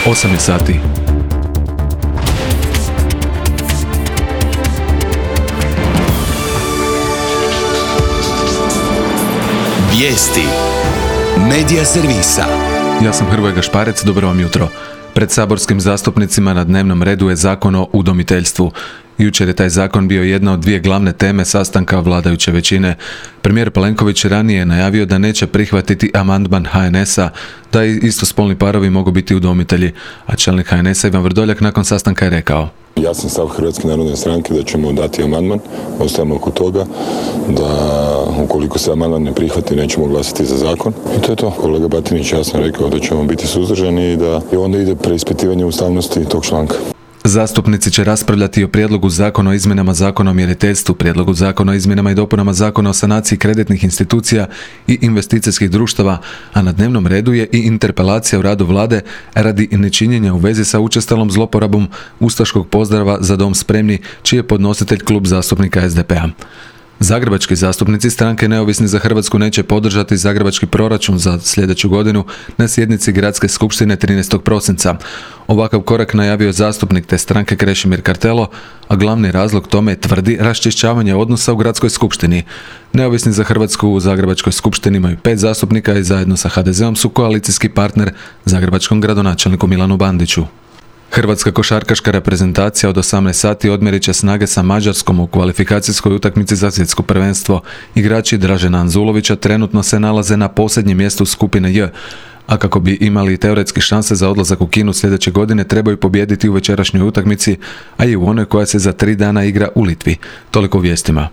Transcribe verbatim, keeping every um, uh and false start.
osam je sati. Vijesti Medija servisa. Ja sam Hrvoje Gašparec, dobro vam jutro. Pred saborskim zastupnicima na dnevnom redu je zakon o udomiteljstvu. Jučer je taj zakon bio jedna od dvije glavne teme sastanka vladajuće većine. Premijer Plenković ranije je najavio da neće prihvatiti amandman ha en esa da i istospolni parovi mogu biti udomitelji, a čelnik ha en esa Ivan Vrdoljak nakon sastanka je rekao: Jasan stav Hrvatske narodne stranke da ćemo dati amandman, ostajemo oko toga, da ukoliko se amandman ne prihvati nećemo glasati za zakon. I to je to. Kolega Batinić jasno rekao da ćemo biti suzdržani i da i onda ide preispitivanje ustavnosti tog članka. Zastupnici će raspravljati o prijedlogu zakona o izmjenama zakona o mjeriteljstvu, prijedlogu zakona o izmjenama i dopunama zakona o sanaciji kreditnih institucija i investicijskih društava, a na dnevnom redu je i interpelacija u radu vlade radi nečinjenja u vezi sa učestalom zloporabom ustaškog pozdrava Za dom spremni, čiji je podnositelj klub zastupnika es de pe a. Zagrebački zastupnici stranke Neovisni za Hrvatsku neće podržati zagrebački proračun za sljedeću godinu na sjednici Gradske skupštine trinaestog prosinca. Ovakav korak najavio je zastupnik te stranke Krešimir Kartelo, a glavni razlog tome tvrdi raščišćavanje odnosa u Gradskoj skupštini. Neovisni za Hrvatsku u Zagrebačkoj skupštini imaju pet zastupnika i zajedno sa ha de zeom su koalicijski partner zagrebačkom gradonačelniku Milanu Bandiću. Hrvatska košarkaška reprezentacija od osamnaest sati odmjerit će snage sa Mađarskom u kvalifikacijskoj utakmici za svjetsko prvenstvo. Igrači Dražena Anzulovića trenutno se nalaze na posljednjem mjestu skupine J, a kako bi imali teoretski šanse za odlazak u Kinu sljedeće godine trebaju pobijediti u večerašnjoj utakmici, a i u onoj koja se za tri dana igra u Litvi. Toliko u vijestima.